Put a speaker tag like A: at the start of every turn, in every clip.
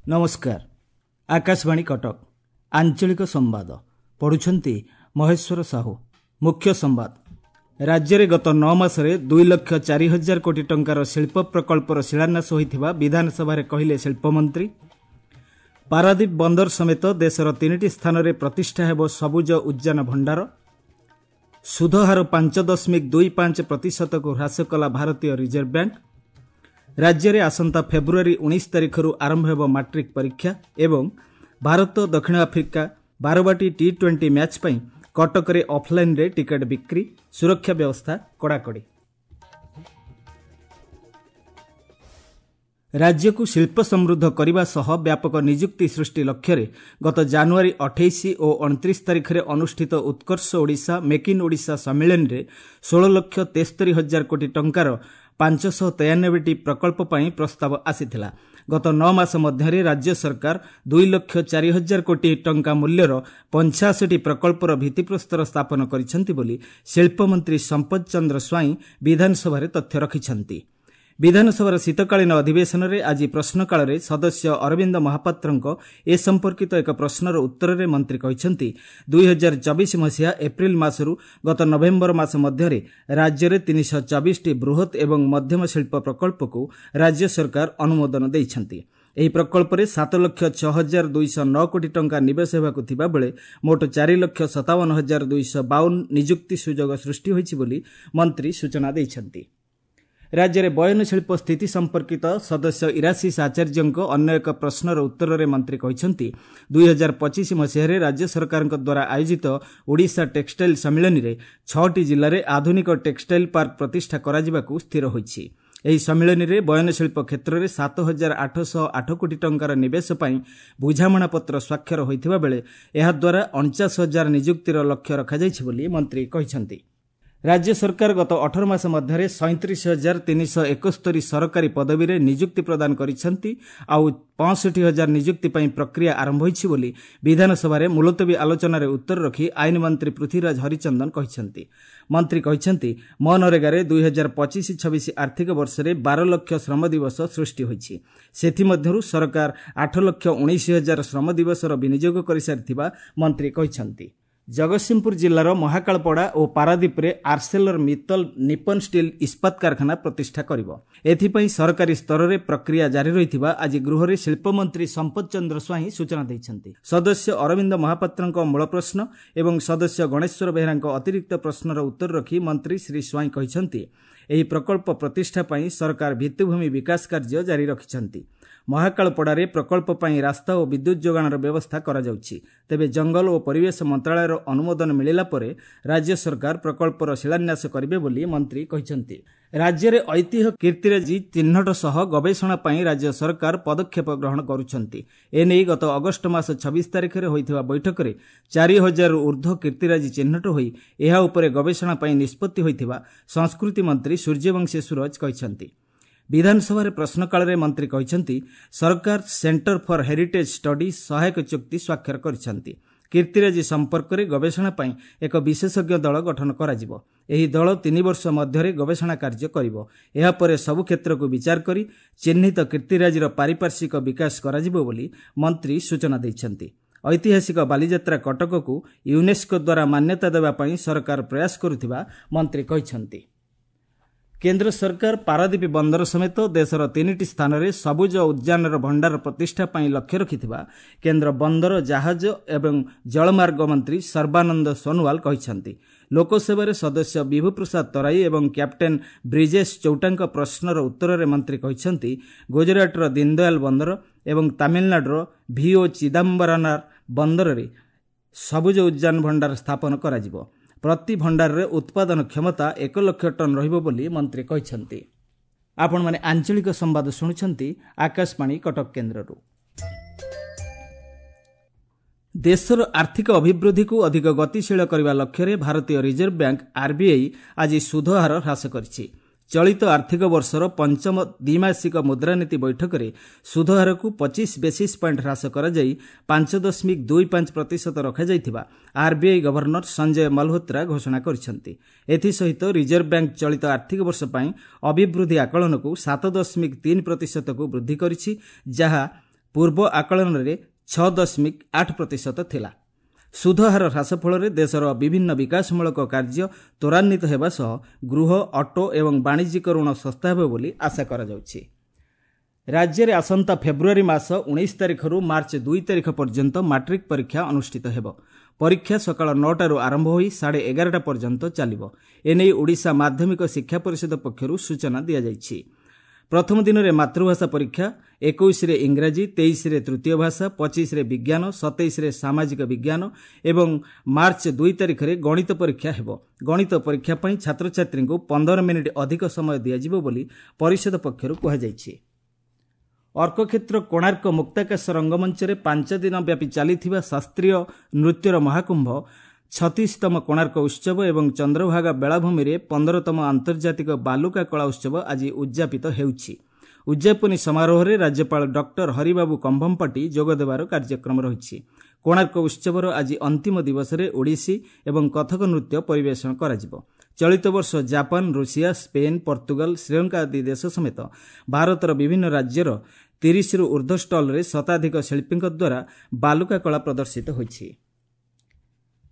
A: ନମସ୍କାର, ଆକାଶବାଣୀ କଟକ, ଆଞ୍ଚଳିକ ସମ୍ବାଦ ପଢ଼ୁଛନ୍ତି ମହେଶ୍ୱର ସାହୁ। ମୁଖ୍ୟ ସମ୍ବାଦ। ରାଜ୍ୟରେ ଗତ 9 ମାସରେ 2,04,000 କୋଟି ଟଙ୍କାର ଶିଳ୍ପ ପ୍ରକଳ୍ପର ଶିଳାନ୍ୟାସ ହୋଇଥିବା ବିଧାନସଭାରେ କହିଲେ ଶିଳ୍ପମନ୍ତ୍ରୀ। ପାରାଦୀପ ବନ୍ଦର ସମେତ ଦେଶର 3ଟି ସ୍ଥାନରେ ପ୍ରତିଷ୍ଠା ହେବ ସବୁଜ ଉଦ୍ୟାନ ଭଣ୍ଡାର। ସୁଧହାର 5.25 ପ୍ରତିଶତକୁ ହ୍ରାସ କଲା ଭାରତୀୟ ରିଜର୍ଭ ବ୍ୟାଙ୍କ। ରାଜ୍ୟରେ ଆସନ୍ତା ଫେବୃଆରୀ 19 ତାରିଖରୁ ଆରମ୍ଭ ହେବ ମାଟ୍ରିକ ପରୀକ୍ଷା ଏବଂ ଭାରତ ଦକ୍ଷିଣ ଆଫ୍ରିକା ବାରବାଟୀ ଟି-20 ମ୍ୟାଚ୍ ପାଇଁ କଟକରେ ଅଫ୍ଲାଇନ୍ରେ ଟିକେଟ୍ ବିକ୍ରି, ସୁରକ୍ଷା ବ୍ୟବସ୍ଥା କଡ଼ାକଡ଼ି। ରାଜ୍ୟକୁ ଶିଳ୍ପ ସମୃଦ୍ଧ କରିବା ସହ ବ୍ୟାପକ ନିଯୁକ୍ତି ସୃଷ୍ଟି ଲକ୍ଷ୍ୟରେ ଗତ ଜାନୁଆରୀ 28 ଓ 29 ତାରିଖରେ ଅନୁଷ୍ଠିତ ଉତ୍କର୍ଷ ଓଡ଼ିଶା ମେକ୍ ଇନ୍ ଓଡ଼ିଶା ସମ୍ମିଳନୀରେ 16,73,000 କୋଟି ଟଙ୍କାର 593ଟି ପ୍ରକଳ୍ପ ପାଇଁ ପ୍ରସ୍ତାବ ଆସିଥିଲା। ଗତ 9 ମାସ ମଧ୍ୟରେ ରାଜ୍ୟ ସରକାର 2,04,000 କୋଟି ଟଙ୍କା ମୂଲ୍ୟର 85ଟି ପ୍ରକଳ୍ପର ଭିତ୍ତିପ୍ରସ୍ତର ସ୍ଥାପନ କରିଛନ୍ତି ବୋଲି ଶିଳ୍ପମନ୍ତ୍ରୀ ସମ୍ପଦ ଚନ୍ଦ୍ର ସ୍ୱାଇଁ ବିଧାନସଭାରେ ତଥ୍ୟ ରଖିଛନ୍ତି। ବିଧାନସଭାର ଶୀତକାଳୀନ ଅଧିବେଶନରେ ଆଜି ପ୍ରଶ୍ନକାଳରେ ସଦସ୍ୟ ଅରବିନ୍ଦ ମହାପାତ୍ରଙ୍କ ଏ ସମ୍ପର୍କିତ ଏକ ପ୍ରଶ୍ନର ଉତ୍ତରରେ ମନ୍ତ୍ରୀ କହିଛନ୍ତି, 2024 ମସିହା ଏପ୍ରିଲ ମାସରୁ ଗତ ନଭେମ୍ବର ମାସ ମଧ୍ୟରେ ରାଜ୍ୟରେ 324ଟି ବୃହତ୍ ଏବଂ ମଧ୍ୟମ ଶିଳ୍ପ ପ୍ରକଳ୍ପକୁ ରାଜ୍ୟ ସରକାର ଅନୁମୋଦନ ଦେଇଛନ୍ତି। ଏହି ପ୍ରକଳ୍ପରେ 7,06,209 କୋଟି ଟଙ୍କା ନିବେଶ ହେବାକୁ ଥିବାବେଳେ ମୋଟ 4,57,252 ନିଯୁକ୍ତି ସୁଯୋଗ ସୃଷ୍ଟି ହୋଇଛି ବୋଲି ମନ୍ତ୍ରୀ ସୂଚନା ଦେଇଛନ୍ତି। ରାଜ୍ୟରେ ବୟନଶିଳ୍ପ ସ୍ଥିତି ସମ୍ପର୍କିତ ସଦସ୍ୟ ଇରାଶିଷ ଆଚାର୍ଯ୍ୟଙ୍କ ଅନ୍ୟ ଏକ ପ୍ରଶ୍ନର ଉତ୍ତରରେ ମନ୍ତ୍ରୀ କହିଛନ୍ତି, 2025 ମସିହାରେ ରାଜ୍ୟ ସରକାରଙ୍କ ଦ୍ୱାରା ଆୟୋଜିତ ଓଡ଼ିଶା ଟେକ୍ସଟାଇଲ୍ ସମ୍ମିଳନୀରେ 6ଟି ଜିଲ୍ଲାରେ ଆଧୁନିକ ଟେକ୍ସଟାଇଲ୍ ପାର୍କ ପ୍ରତିଷ୍ଠା କରାଯିବାକୁ ସ୍ଥିର ହୋଇଛି। ଏହି ସମ୍ମିଳନୀରେ ବୟନଶିଳ୍ପ କ୍ଷେତ୍ରରେ 7,808 କୋଟି ଟଙ୍କାର ନିବେଶ ପାଇଁ ବୁଝାମଣାପତ୍ର ସ୍ୱାକ୍ଷର ହୋଇଥିବା ବେଳେ ଏହାଦ୍ୱାରା 49,000 ନିଯୁକ୍ତିର ଲକ୍ଷ୍ୟ ରଖାଯାଇଛି ବୋଲି ମନ୍ତ୍ରୀ କହିଛନ୍ତି। ରାଜ୍ୟ ସରକାର ଗତ 18 ମାସ ମଧ୍ୟରେ 37,371 ସରକାରୀ ପଦବୀରେ ନିଯୁକ୍ତି ପ୍ରଦାନ କରିଛନ୍ତି, ଆଉ 65,000 ନିଯୁକ୍ତି ପାଇଁ ପ୍ରକ୍ରିୟା ଆରମ୍ଭ ହୋଇଛି ବୋଲି ବିଧାନସଭାରେ ମୁଲତବୀ ଆଲୋଚନାରେ ଉତ୍ତର ରଖି ଆଇନ ମନ୍ତ୍ରୀ ପୃଥ୍ୱୀରାଜ ହରିଚନ୍ଦନ କହିଛନ୍ତି। ମନ୍ତ୍ରୀ କହିଛନ୍ତି, ମନରେଗାରେ 2025-26 ଆର୍ଥିକ ବର୍ଷରେ 12 ଲକ୍ଷ ଶ୍ରମ ଦିବସ ସୃଷ୍ଟି ହୋଇଛି। ସେଥିମଧ୍ୟରୁ ସରକାର 8,19,000 ଶ୍ରମ ଦିବସର ବିନିଯୋଗ କରିସାରିଥିବା ମନ୍ତ୍ରୀ କହିଛନ୍ତି। ଜଗତସିଂହପୁର ଜିଲ୍ଲାର ମହାକାଳପଡ଼ା ଓ ପାରାଦୀପରେ ଆର୍ସେଲର ମିତ୍ତଲ ନିପନ ଷ୍ଟିଲ୍ ଇସ୍ପାତ କାରଖାନା ପ୍ରତିଷ୍ଠା କରିବ। ଏଥିପାଇଁ ସରକାରୀ ସ୍ତରରେ ପ୍ରକ୍ରିୟା ଜାରି ରହିଥିବା ଆଜି ଗୃହରେ ଶିଳ୍ପମନ୍ତ୍ରୀ ସମ୍ପଦ ଚନ୍ଦ୍ର ସ୍ୱାଇଁ ସୂଚନା ଦେଇଛନ୍ତି। ସଦସ୍ୟ ଅରବିନ୍ଦ ମହାପାତ୍ରଙ୍କ ମୂଳ ପ୍ରଶ୍ନ ଏବଂ ସଦସ୍ୟ ଗଣେଶ୍ୱର ବେହେରାଙ୍କ ଅତିରିକ୍ତ ପ୍ରଶ୍ନର ଉତ୍ତର ରଖି ମନ୍ତ୍ରୀ ଶ୍ରୀ ସ୍ୱାଇଁ କହିଛନ୍ତି, ଏହି ପ୍ରକଳ୍ପ ପ୍ରତିଷ୍ଠା ପାଇଁ ସରକାର ଭିତ୍ତିଭୂମି ବିକାଶ କାର୍ଯ୍ୟ ଜାରି ରଖିଛନ୍ତି। ମହାକାଳପଡ଼ାରେ ପ୍ରକଳ୍ପ ପାଇଁ ରାସ୍ତା ଓ ବିଦ୍ୟୁତ୍ ଯୋଗାଣର ବ୍ୟବସ୍ଥା କରାଯାଉଛି। ତେବେ ଜଙ୍ଗଲ ଓ ପରିବେଶ ମନ୍ତ୍ରଣାଳୟର ଅନୁମୋଦନ ମିଳିଲା ପରେ ରାଜ୍ୟ ସରକାର ପ୍ରକଳ୍ପର ଶିଳାନ୍ୟାସ କରିବେ ବୋଲି ମନ୍ତ୍ରୀ କହିଛନ୍ତି। ରାଜ୍ୟରେ ଐତିହ୍ୟ କୀର୍ତ୍ତିରାଜି ଚିହ୍ନଟ ସହ ଗବେଷଣା ପାଇଁ ରାଜ୍ୟ ସରକାର ପଦକ୍ଷେପ ଗ୍ରହଣ କରୁଛନ୍ତି। ଏନେଇ ଗତ ଅଗଷ୍ଟ ମାସ 26 ତାରିଖରେ ହୋଇଥିବା ବୈଠକରେ 4,000ରୁ ଉର୍ଦ୍ଧ୍ୱ କୀର୍ତ୍ତିରାଜି ଚିହ୍ନଟ ହୋଇ ଏହା ଉପରେ ଗବେଷଣା ପାଇଁ ନିଷ୍ପତ୍ତି ହୋଇଥିବା ସଂସ୍କୃତି ମନ୍ତ୍ରୀ ସୂର୍ଯ୍ୟବଂଶୀ ସୂରଜ କହିଛନ୍ତି। ବିଧାନସଭାରେ ପ୍ରଶ୍ନକାଳରେ ମନ୍ତ୍ରୀ କହିଛନ୍ତି, ସରକାର ସେଣ୍ଟର ଫର୍ ହେରିଟେଜ୍ ଷ୍ଟଡି ସହାୟକ ଚୁକ୍ତି ସ୍ୱାକ୍ଷର କରିଛନ୍ତି। କୀର୍ତ୍ତିରାଜି ସମ୍ପର୍କରେ ଗବେଷଣା ପାଇଁ ଏକ ବିଶେଷଜ୍ଞ ଦଳ ଗଠନ କରାଯିବ। ଏହି ଦଳ 3 ବର୍ଷ ମଧ୍ୟରେ ଗବେଷଣା କାର୍ଯ୍ୟ କରିବ। ଏହାପରେ ସବୁ କ୍ଷେତ୍ରକୁ ବିଚାର କରି ଚିହ୍ନିତ କୀର୍ତ୍ତିରାଜିର ପାରିପାର୍ଶ୍ୱିକ ବିକାଶ କରାଯିବ ବୋଲି ମନ୍ତ୍ରୀ ସୂଚନା ଦେଇଛନ୍ତି। ଐତିହାସିକ ବାଲିଯାତ୍ରା କଟକକୁ ୟୁନେସ୍କୋ ଦ୍ୱାରା ମାନ୍ୟତା ଦେବା ପାଇଁ ସରକାର ପ୍ରୟାସ କରୁଥିବା ମନ୍ତ୍ରୀ କହିଛନ୍ତି। କେନ୍ଦ୍ର ସରକାର ପାରାଦୀପ ବନ୍ଦର ସମେତ ଦେଶର 3ଟି ସ୍ଥାନରେ ସବୁଜ ଉଦ୍ୟାନର ଭଣ୍ଡାର ପ୍ରତିଷ୍ଠା ପାଇଁ ଲକ୍ଷ୍ୟ ରଖିଥିବା କେନ୍ଦ୍ର ବନ୍ଦର, ଜାହାଜ ଏବଂ ଜଳମାର୍ଗ ମନ୍ତ୍ରୀ ସର୍ବାନନ୍ଦ ସୋନୋୱାଲ କହିଛନ୍ତି। ଲୋକସଭାରେ ସଦସ୍ୟ ବିଭୁପ୍ରସାଦ ତରାଇ ଏବଂ କ୍ୟାପ୍ଟେନ୍ ବ୍ରିଜେଶ ଚୌଟାଙ୍କ ପ୍ରଶ୍ନର ଉତ୍ତରରେ ମନ୍ତ୍ରୀ କହିଛନ୍ତି, ଗୁଜରାଟର ଦୀନଦୟାଲ ବନ୍ଦର ଏବଂ ତାମିଲନାଡୁର ଭି.ଓ. ଚିଦାମ୍ବରନାର ବନ୍ଦରରେ ସବୁଜ ଉଦ୍ୟାନ ଭଣ୍ଡାର ସ୍ଥାପନ କରାଯିବ। ପ୍ରତି ଭଣ୍ଡାରରେ ଉତ୍ପାଦନ କ୍ଷମତା 1 ଲକ୍ଷ ଟନ୍ ରହିବ ବୋଲି ମନ୍ତ୍ରୀ କହିଛନ୍ତି। ଆପଣମାନେ ଆଞ୍ଚଳିକ ସମ୍ବାଦ ଶୁଣୁଛନ୍ତି ଆକାଶବାଣୀ କଟକ କେନ୍ଦ୍ରରୁ। ଦେଶର ଆର୍ଥିକ ଅଭିବୃଦ୍ଧିକୁ ଅଧିକ ଗତିଶୀଳ କରିବା ଲକ୍ଷ୍ୟରେ ଭାରତୀୟ ରିଜର୍ଭ ବ୍ୟାଙ୍କ ଆର୍ବିଆଇ ଆଜି ସୁଧହାର ହ୍ରାସ କରିଛି। ଚଳିତ ଆର୍ଥିକ ବର୍ଷର ପଞ୍ଚମ ଦ୍ୱିମାସିକ ମୁଦ୍ରାନୀତି ବୈଠକରେ ସୁଧହାରକୁ 25 ବେସିସ୍ ପଏଣ୍ଟ ହ୍ରାସ କରାଯାଇ 5.25% ରଖାଯାଇଥିବା ଆର୍ବିଆଇ ଗଭର୍ଣ୍ଣର ସଞ୍ଜୟ ମଲ୍ହୋତ୍ରା ଘୋଷଣା କରିଛନ୍ତି। ଏଥିସହିତ ରିଜର୍ଭ ବ୍ୟାଙ୍କ ଚଳିତ ଆର୍ଥିକ ବର୍ଷ ପାଇଁ ଅଭିବୃଦ୍ଧି ଆକଳନକୁ 7.3%କୁ ବୃଦ୍ଧି କରିଛି, ଯାହା ପୂର୍ବ ଆକଳନରେ 6.8% ଥିଲା। ସୁଧହାର ହ୍ରାସ ଫଳରେ ଦେଶର ବିଭିନ୍ନ ବିକାଶମୂଳକ କାର୍ଯ୍ୟ ତ୍ୱରାନ୍ୱିତ ହେବା ସହ ଗୃହ, ଅଟୋ ଏବଂ ବାଣିଜ୍ୟିକ ଋଣ ଶସ୍ତା ହେବ ବୋଲି ଆଶା କରାଯାଉଛି। ରାଜ୍ୟରେ ଆସନ୍ତା ଫେବୃଆରୀ ମାସ 19 ତାରିଖରୁ ମାର୍ଚ୍ଚ 2 ତାରିଖ ପର୍ଯ୍ୟନ୍ତ ମାଟ୍ରିକ୍ ପରୀକ୍ଷା ଅନୁଷ୍ଠିତ ହେବ। ପରୀକ୍ଷା ସକାଳ 9ଟାରୁ ଆରମ୍ଭ ହୋଇ 11:30 ପର୍ଯ୍ୟନ୍ତ ଚାଲିବ। ଏନେଇ ଓଡ଼ିଶା ମାଧ୍ୟମିକ ଶିକ୍ଷା ପରିଷଦ ପକ୍ଷରୁ ସୂଚନା ଦିଆଯାଇଛି। ପ୍ରଥମ ଦିନରେ ମାତୃଭାଷା ପରୀକ୍ଷା, 21ରେ ଇଂରାଜୀ, 23ରେ ତୃତୀୟ ଭାଷା, 25ରେ ବିଜ୍ଞାନ, 27ରେ ସାମାଜିକ ବିଜ୍ଞାନ ଏବଂ ମାର୍ଚ୍ଚ 2 ତାରିଖରେ ଗଣିତ ପରୀକ୍ଷା ହେବ। ଗଣିତ ପରୀକ୍ଷା ପାଇଁ ଛାତ୍ରଛାତ୍ରୀଙ୍କୁ 15 ମିନିଟ୍ ଅଧିକ ସମୟ ଦିଆଯିବ ବୋଲି ପରିଷଦ ପକ୍ଷରୁ କୁହାଯାଇଛି। ଅର୍କକ୍ଷେତ୍ର କୋଣାର୍କ ମୁକ୍ତାକାଶ ରଙ୍ଗମଞ୍ଚରେ 5 ଦିନ ବ୍ୟାପୀ ଚାଲିଥିବା ଶାସ୍ତ୍ରୀୟ ନୃତ୍ୟର ମହାକୁମ୍ଭ 36ତମ କୋଣାର୍କ ଉତ୍ସବ ଏବଂ ଚନ୍ଦ୍ରଭାଗା ବେଳାଭୂମିରେ 15ତମ ଆନ୍ତର୍ଜାତିକ ବାଲୁକା କଳା ଉତ୍ସବ ଆଜି ଉଦ୍ଯାପିତ ହେଉଛି। ଉଦ୍ଯାପନୀ ସମାରୋହରେ ରାଜ୍ୟପାଳ ଡକ୍ଟର ହରିବାବୁ କମ୍ଭମପାଟି ଯୋଗଦେବାର କାର୍ଯ୍ୟକ୍ରମ ରହିଛି। କୋଣାର୍କ ଉତ୍ସବର ଆଜି ଅନ୍ତିମ ଦିବସରେ ଓଡ଼ିଶୀ ଏବଂ କଥକ ନୃତ୍ୟ ପରିବେଷଣ କରାଯିବ। ଚଳିତ ବର୍ଷ Japan, Russia, Spain, Portugal, Sri Lanka ଆଦି ଦେଶ ସମେତ ଭାରତର ବିଭିନ୍ନ ରାଜ୍ୟର 30ରୁ ଉର୍ଦ୍ଧ୍ୱ ଷ୍ଟଲ୍ରେ ଶତାଧିକ ଶିଳ୍ପୀଙ୍କ ଦ୍ୱାରା ବାଲୁକା କଳା ପ୍ରଦର୍ଶିତ ହୋଇଛି।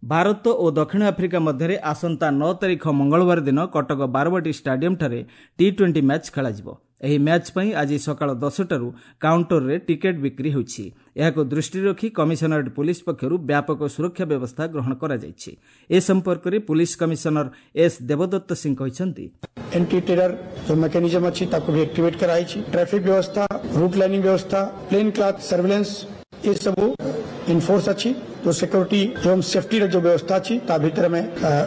A: ଭାରତ ଓ ଦକ୍ଷିଣ ଆଫ୍ରିକା ମଧ୍ୟରେ ଆସନ୍ତା 9 ତାରିଖ ମଙ୍ଗଳବାର ଦିନ କଟକ ବାରବାଟୀ ଷ୍ଟାଡିୟମ୍ଠାରେ ଟି-20 ମ୍ୟାଚ୍ ଖେଳାଯିବ। ଏହି ମ୍ୟାଚ୍ ପାଇଁ ଆଜି ସକାଳ 10ଟାରୁ କାଉଣ୍ଟରରେ ଟିକେଟ୍ ବିକ୍ରି ହେଉଛି। ଏହାକୁ ଦୃଷ୍ଟିରେ ରଖି କମିଶନରେଟ୍ ପୁଲିସ ପକ୍ଷରୁ ବ୍ୟାପକ ସୁରକ୍ଷା ବ୍ୟବସ୍ଥା ଗ୍ରହଣ କରାଯାଇଛି। ଏ ସମ୍ପର୍କରେ ପୁଲିସ କମିଶନର ଏସ୍ ଦେବଦତ୍ତ ସିଂ କହିଛନ୍ତି,
B: ଏଣ୍ଟି ଟେରର ଯେଉଁ ମେକାନିଜମ ଅଛି ତାକୁ ବି ଆକ୍ଟିଭେଟ୍ କରାଯାଇଛି। ଟ୍ରାଫିକ୍ ବ୍ୟବସ୍ଥା, ରୁଟ୍ ଲାଇନିଂ ବ୍ୟବସ୍ଥା, ପ୍ଲେନ୍ କ୍ଲାଥ୍ ସର୍ଭେଲାନ୍ସ ଏସବୁ ଇନଫୋର୍ସ ଅଛି। जो सिक्योरिटी एवं सेफ्टी जो व्यवस्था अच्छी ता भितर में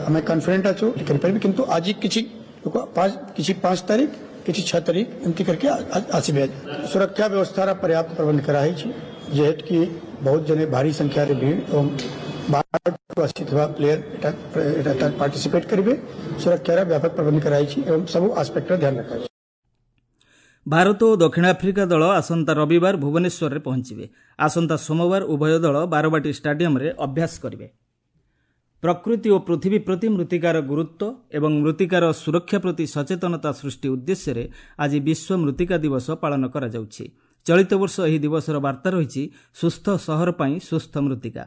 B: आम कॉन्फिडेंट अच्छु करें। किंतु आज किसी 5 तारीख किसी 6 तारीख एमती करके आसबे। सुरक्षा व्यवस्था पर्याप्त प्रबंध कराई जेहेतु कि बहुत जने भारी संख्या भीड़ एवं बाहर आसी प्लेयर पार्टिसिपेट करेंगे। सुरक्षार व्यापक प्रबंध कराई एवं सब आस्पेक्टर ध्यान रखा।
A: ଭାରତ ଓ ଦକ୍ଷିଣ ଆଫ୍ରିକା ଦଳ ଆସନ୍ତା ରବିବାର ଭୁବନେଶ୍ୱରରେ ପହଞ୍ଚିବେ। ଆସନ୍ତା ସୋମବାର ଉଭୟ ଦଳ ବାରବାଟୀ ଷ୍ଟାଡିୟମ୍ରେ ଅଭ୍ୟାସ କରିବେ। ପ୍ରକୃତି ଓ ପୃଥିବୀ ପ୍ରତି ମୃତ୍ତିକାର ଗୁରୁତ୍ୱ ଏବଂ ମୃତ୍ତିକାର ସୁରକ୍ଷା ପ୍ରତି ସଚେତନତା ସୃଷ୍ଟି ଉଦ୍ଦେଶ୍ୟରେ ଆଜି ବିଶ୍ୱ ମୃତ୍ତିକା ଦିବସ ପାଳନ କରାଯାଉଛି। ଚଳିତ ବର୍ଷ ଏହି ଦିବସର ବାର୍ତ୍ତା ରହିଛି ସୁସ୍ଥ ସହର ପାଇଁ ସୁସ୍ଥ ମୃତ୍ତିକା।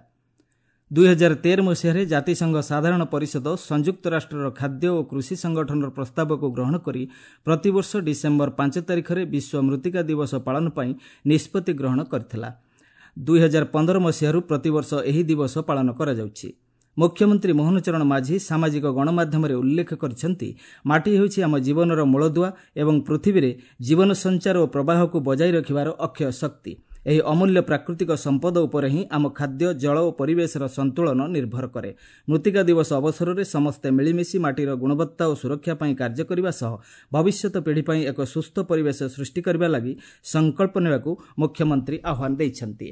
A: 2013 ମସିହାରେ ଜାତିସଂଘ ସାଧାରଣ ପରିଷଦ ସଂଯୁକ୍ତ ରାଷ୍ଟ୍ରର ଖାଦ୍ୟ ଓ କୃଷି ସଂଗଠନର ପ୍ରସ୍ତାବକୁ ଗ୍ରହଣ କରି ପ୍ରତିବର୍ଷ ଡିସେମ୍ବର 5 ତାରିଖରେ ବିଶ୍ୱ ମୃତ୍ତିକା ଦିବସ ପାଳନ ପାଇଁ ନିଷ୍ପତ୍ତି ଗ୍ରହଣ କରିଥିଲା। 2015 ମସିହାରୁ ପ୍ରତିବର୍ଷ ଏହି ଦିବସ ପାଳନ କରାଯାଉଛି। ମୁଖ୍ୟମନ୍ତ୍ରୀ ମୋହନ ଚରଣ ମାଝୀ ସାମାଜିକ ଗଣମାଧ୍ୟମରେ ଉଲ୍ଲେଖ କରିଛନ୍ତି, ମାଟି ହେଉଛି ଆମ ଜୀବନର ମୂଳଦୁଆ ଏବଂ ପୃଥିବୀରେ ଜୀବନ ସଞ୍ଚାର ଓ ପ୍ରବାହକୁ ବଜାୟ ରଖିବାର ଅକ୍ଷୟ ଶକ୍ତି। ଏହି ଅମୂଲ୍ୟ ପ୍ରାକୃତିକ ସମ୍ପଦ ଉପରେ ହିଁ ଆମ ଖାଦ୍ୟ, ଜଳ ଓ ପରିବେଶର ସନ୍ତୁଳନ ନିର୍ଭର କରେ। ମୃତ୍ତିକା ଦିବସ ଅବସରରେ ସମସ୍ତେ ମିଳିମିଶି ମାଟିର ଗୁଣବତ୍ତା ଓ ସୁରକ୍ଷା ପାଇଁ କାର୍ଯ୍ୟ କରିବା ସହ ଭବିଷ୍ୟତ ପିଢ଼ି ପାଇଁ ଏକ ସୁସ୍ଥ ପରିବେଶ ସୃଷ୍ଟି କରିବା ଲାଗି ସଂକଳ୍ପ ନେବାକୁ ମୁଖ୍ୟମନ୍ତ୍ରୀ ଆହ୍ୱାନ ଦେଇଛନ୍ତି।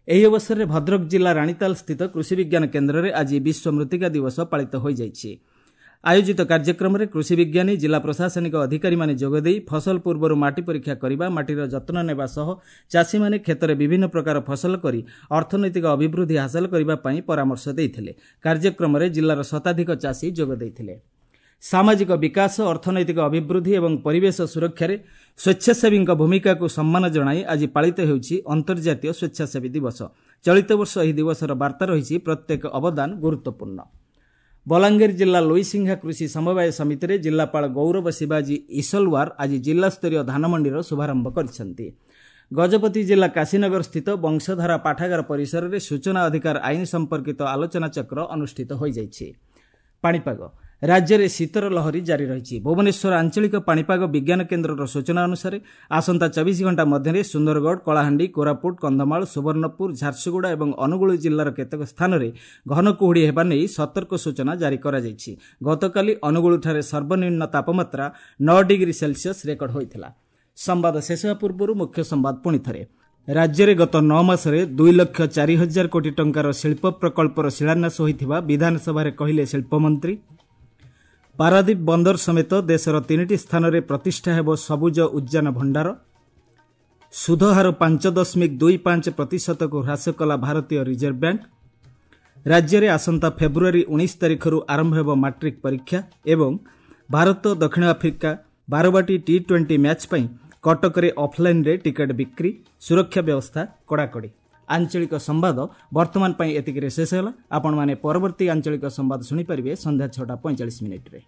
A: ଏହି ଅବସରରେ ଭଦ୍ରକ ଜିଲ୍ଲା ରାଣୀତାଲ ସ୍ଥିତ କୃଷି ବିଜ୍ଞାନ କେନ୍ଦ୍ରରେ ଆଜି ବିଶ୍ୱ ମୃତ୍ତିକା ଦିବସ ପାଳିତ ହୋଇଯାଇଛି। ଆୟୋଜିତ କାର୍ଯ୍ୟକ୍ରମରେ କୃଷି ବିଜ୍ଞାନୀ, ଜିଲ୍ଲା ପ୍ରଶାସନିକ ଅଧିକାରୀମାନେ ଯୋଗଦେଇ ଫସଲ ପୂର୍ବରୁ ମାଟି ପରୀକ୍ଷା କରିବା, ମାଟିର ଯତ୍ନ ନେବା ସହ ଚାଷୀମାନେ କ୍ଷେତରେ ବିଭିନ୍ନ ପ୍ରକାର ଫସଲ କରି ଅର୍ଥନୈତିକ ଅଭିବୃଦ୍ଧି ହାସଲ କରିବା ପାଇଁ ପରାମର୍ଶ ଦେଇଥିଲେ। କାର୍ଯ୍ୟକ୍ରମରେ ଜିଲ୍ଲାର ଶତାଧିକ ଚାଷୀ ଯୋଗ ଦେଇଥିଲେ। ସାମାଜିକ ବିକାଶ, ଅର୍ଥନୈତିକ ଅଭିବୃଦ୍ଧି ଏବଂ ପରିବେଶ ସୁରକ୍ଷାରେ ସ୍ୱେଚ୍ଛାସେବୀଙ୍କ ଭୂମିକାକୁ ସମ୍ମାନ ଜଣାଇ ଆଜି ପାଳିତ ହେଉଛି ଅନ୍ତର୍ଜାତୀୟ ସ୍ୱେଚ୍ଛାସେବୀ ଦିବସ। ଚଳିତ ବର୍ଷ ଏହି ଦିବସର ବାର୍ତ୍ତା ରହିଛି ପ୍ରତ୍ୟେକ ଅବଦାନ ଗୁରୁତ୍ୱପୂର୍ଣ୍ଣ। ବଲାଙ୍ଗୀର ଜିଲ୍ଲା ଲୋଇସିଂହା କୃଷି ସମବାୟ ସମିତିରେ ଜିଲ୍ଲାପାଳ ଗୌରବ ଶିବାଜୀ ଇସଲୱାର ଆଜି ଜିଲ୍ଲାସ୍ତରୀୟ ଧାନମଣ୍ଡିର ଶୁଭାରମ୍ଭ କରିଛନ୍ତି। ଗଜପତି ଜିଲ୍ଲା କାଶୀନଗର ସ୍ଥିତ ବଂଶଧାରା ପାଠାଗାର ପରିସରରେ ସୂଚନା ଅଧିକାର ଆଇନ ସମ୍ପର୍କିତ ଆଲୋଚନାଚକ୍ର ଅନୁଷ୍ଠିତ ହୋଇଯାଇଛି। ପାଣିପାଗ ରାଜ୍ୟରେ ଶୀତର ଲହରୀ ଜାରି ରହିଛି। ଭୁବନେଶ୍ୱର ଆଞ୍ଚଳିକ ପାଣିପାଗ ବିଜ୍ଞାନ କେନ୍ଦ୍ରର ସୂଚନା ଅନୁସାରେ ଆସନ୍ତା 24 ଘଣ୍ଟା ମଧ୍ୟରେ ସୁନ୍ଦରଗଡ଼, କଳାହାଣ୍ଡି, କୋରାପୁଟ, କନ୍ଧମାଳ, ସୁବର୍ଣ୍ଣପୁର, ଝାରସୁଗୁଡ଼ା ଏବଂ ଅନୁଗୁଳ ଜିଲ୍ଲାର କେତେକ ସ୍ଥାନରେ ଘନ କୁହୁଡ଼ି ହେବା ନେଇ ସତର୍କ ସୂଚନା ଜାରି କରାଯାଇଛି। ଗତକାଲି ଅନୁଗୁଳଠାରେ ସର୍ବନିମ୍ନ ତାପମାତ୍ରା 9 ଡିଗ୍ରୀ ସେଲସିୟସ୍ ରେକର୍ଡ ହୋଇଥିଲା। ସମ୍ବାଦ ଶେଷ ହେବା ପୂର୍ବରୁ ମୁଖ୍ୟ ସମ୍ବାଦ ପୁଣିଥରେ। ରାଜ୍ୟରେ ଗତ 9 ମାସରେ 2,04,000 କୋଟି ଟଙ୍କାର ଶିଳ୍ପ ପ୍ରକଳ୍ପର ଶିଳାନ୍ୟାସ ହୋଇଥିବା ବିଧାନସଭାରେ କହିଲେ ଶିଳ୍ପମନ୍ତ୍ରୀ। ପାରାଦୀପ ବନ୍ଦର ସମେତ ଦେଶର 3ଟି ସ୍ଥାନରେ ପ୍ରତିଷ୍ଠା ହେବ ସବୁଜ ଉଦ୍ୟାନ ଭଣ୍ଡାର। ସୁଧହାର 5.25%କୁ ହ୍ରାସ କଲା ଭାରତୀୟ ରିଜର୍ଭ ବ୍ୟାଙ୍କ। ରାଜ୍ୟରେ ଆସନ୍ତା ଫେବୃଆରୀ 19 ତାରିଖରୁ ଆରମ୍ଭ ହେବ ମାଟ୍ରିକ୍ ପରୀକ୍ଷା ଏବଂ ଭାରତ ଦକ୍ଷିଣ ଆଫ୍ରିକା ବାରବାଟୀ ଟି-20 ମ୍ୟାଚ୍ ପାଇଁ କଟକରେ ଅଫ୍ଲାଇନ୍ରେ ଟିକେଟ୍ ବିକ୍ରି, ସୁରକ୍ଷା ବ୍ୟବସ୍ଥା କଡ଼ାକଡ଼ି। ଆଞ୍ଚଳିକ ସମ୍ବାଦ ବର୍ତ୍ତମାନ ପାଇଁ ଏତିକିରେ ଶେଷ ହେଲା। ଆପଣମାନେ ପରବର୍ତ୍ତୀ ଆଞ୍ଚଳିକ ସମ୍ବାଦ ଶୁଣିପାରିବେ ସନ୍ଧ୍ୟା 6ଟା 45 ମିନିଟ୍ରେ।